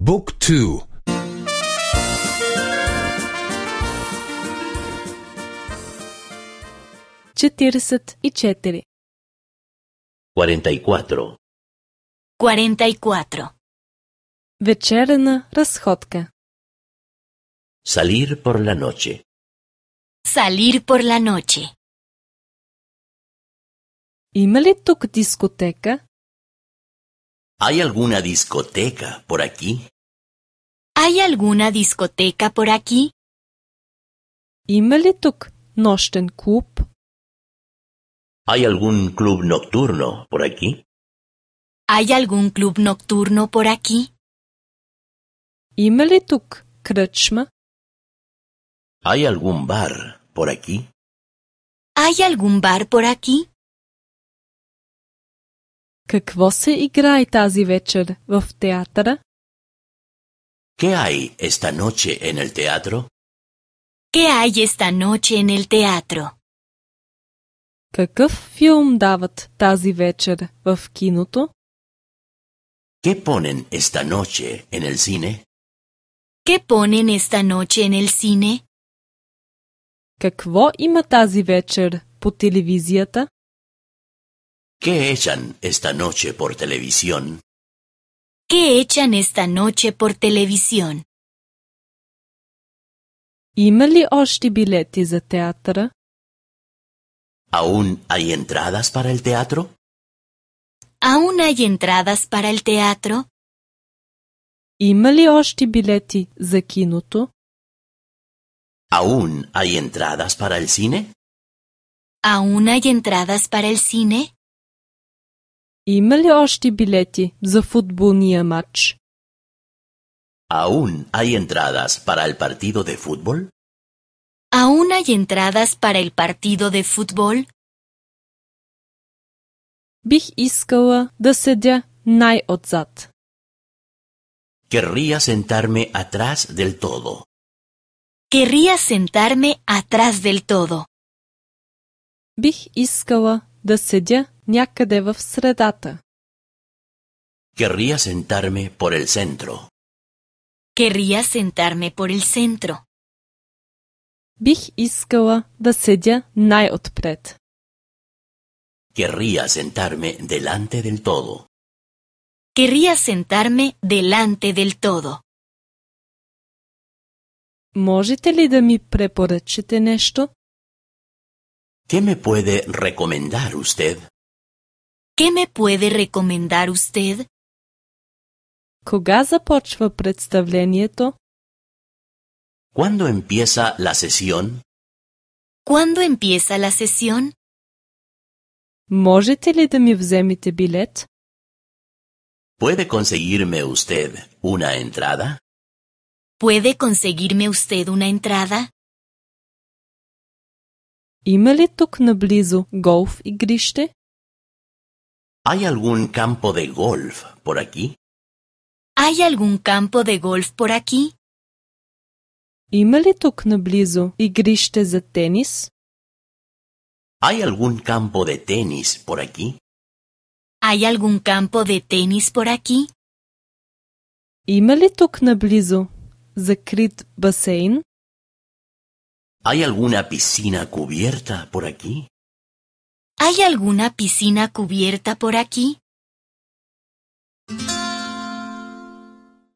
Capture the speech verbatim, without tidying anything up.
Book two. четиридесет и четири. cuarenta y cuatro. cuarenta y cuatro. Вечерна разходка. Salir por la noche. Salir por la noche. Има ли тук дискотека? ¿Hay alguna discoteca por aquí? ¿Hay alguna discoteca por aquí? Има ли тук нощен клуб? ¿Hay algún club nocturno por aquí? ¿Hay algún club nocturno por aquí? Има ли тук кръчма? ¿Hay algún bar por aquí? ¿Hay algún bar por aquí? Какво се играе тази вечер в театъра? ¿Qué hay esta noche en el teatro? ¿Qué hay esta noche en el teatro? Какъв филм дават тази вечер в киното? ¿Qué ponen esta noche en el cine? ¿Qué ponen esta noche en el cine? Какво има тази вечер по телевизията? ¿Qué echan esta noche por televisión? ¿Qué echan esta noche por televisión? Има ли още билети за театъра? ¿Aún hay entradas para el teatro? ¿Aún hay entradas para el teatro? Има ли още билети за киното? ¿Aún hay entradas para el cine? ¿Aún hay entradas para el cine? Има ли още билети за футболния матч? ¿Aún hay entradas para el partido de fútbol? ¿Aún hay entradas para el partido de fútbol? Бих искала да седя най-отзад. Querría sentarme atrás del todo. Querría sentarme atrás del todo. Бих искала да седя някъде в средата. Querría sentarme por el centro. Querría sentarme por el centro. Бих искала да седя най-отпред. Querría sentarme delante del todo. Querría sentarme delante del todo. Можете ли да ми препоръчате нещо? ¿Qué me puede recomendar usted? ¿Qué me puede recomendar usted? Кога започва представлението? ¿Cuándo empieza la sesión? ¿Cuándo empieza la sesión? Можете ли да ми вземете билет? ¿Puede conseguirme usted una entrada? ¿Puede conseguirme usted una entrada? Има ли тук наблизо голф игрище? ¿Hay algún campo de golf por aquí? ¿Hay algún campo de golf por aquí? Има ли тук наблизо игрище за тенис? ¿Hay algún campo de tenis por aquí? ¿Hay algún campo de tenis por aquí? Има ли тук наблизо закрит басейн? ¿Hay alguna piscina cubierta por aquí? ¿Hay alguna piscina cubierta por aquí?